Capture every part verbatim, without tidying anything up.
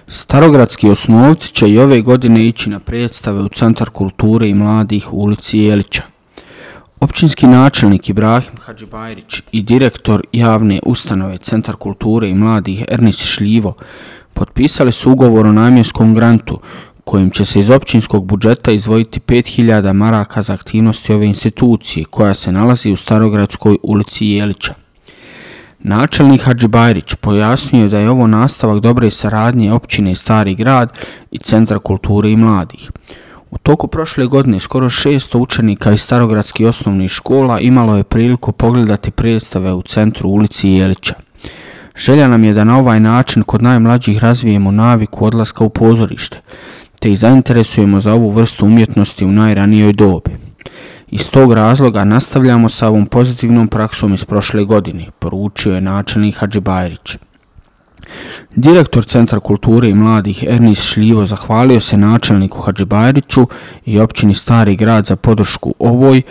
Starogradski osnovci će i ove godine ići na predstave u Centar kulture i mladih u ulici Jelića. Općinski načelnik Ibrahim Hadžibajrić i direktor javne ustanove Centar kulture i mladih Ernest Šljivo potpisali su ugovor o namjenskom grantu kojim će se iz općinskog budžeta izdvojiti pet hiljada maraka za aktivnosti ove institucije koja se nalazi u Starogradskoj ulici Jelića. Načelnik Hadžibajrić pojasnio je da je ovo nastavak dobre saradnje općine Stari grad i Centra kulture i mladih. U toku prošle godine skoro šesto učenika iz starogradskih osnovnih škola imalo je priliku pogledati predstave u centru ulici Jelića. Želja nam je da na ovaj način kod najmlađih razvijemo naviku odlaska u pozorište, te ih zainteresujemo za ovu vrstu umjetnosti u najranijoj dobi. Iz tog razloga nastavljamo sa ovom pozitivnom praksom iz prošle godine, poručio je načelnik Hadžibajrić. Direktor Centra kulture i mladih Ernest Šljivo zahvalio se načelniku Hadžibajriću i općini Stari grad za podršku ovoj,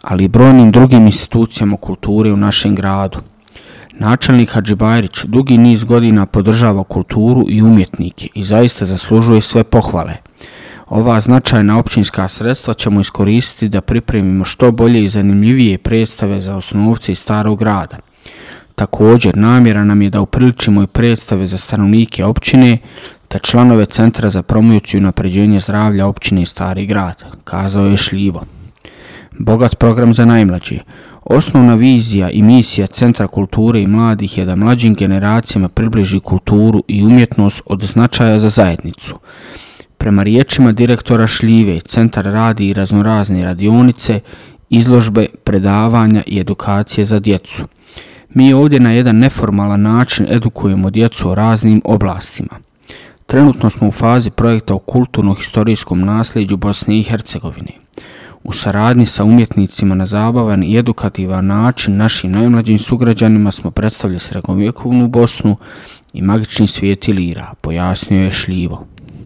ali i brojnim drugim institucijama kulture u našem gradu. Načelnik Hadžibajrić dugi niz godina podržava kulturu i umjetnike i zaista zaslužuje sve pohvale. Ova značajna općinska sredstva ćemo iskoristiti da pripremimo što bolje i zanimljivije predstave za osnovce iz Starog grada. Također, namjera nam je da upriličimo i predstave za stanovnike općine te članove Centra za promociju i unapređenje zdravlja općine Stari grad, kazao je Šljivo. Bogat program za najmlađe. Osnovna vizija i misija Centra kulture i mladih je da mlađim generacijama približi kulturu i umjetnost od značaja za zajednicu. Prema riječima direktora Šljive, centar radi i raznorazne radionice, izložbe, predavanja i edukacije za djecu. Mi ovdje na jedan neformalan način edukujemo djecu o raznim oblastima. Trenutno smo u fazi projekta o kulturno-historijskom nasljeđu Bosne i Hercegovine. U saradnji sa umjetnicima na zabavan i edukativan način našim najmlađim sugrađanima smo predstavili srednjovjekovnu Bosnu i magični svijet Ilira, pojasnio je Šljivo.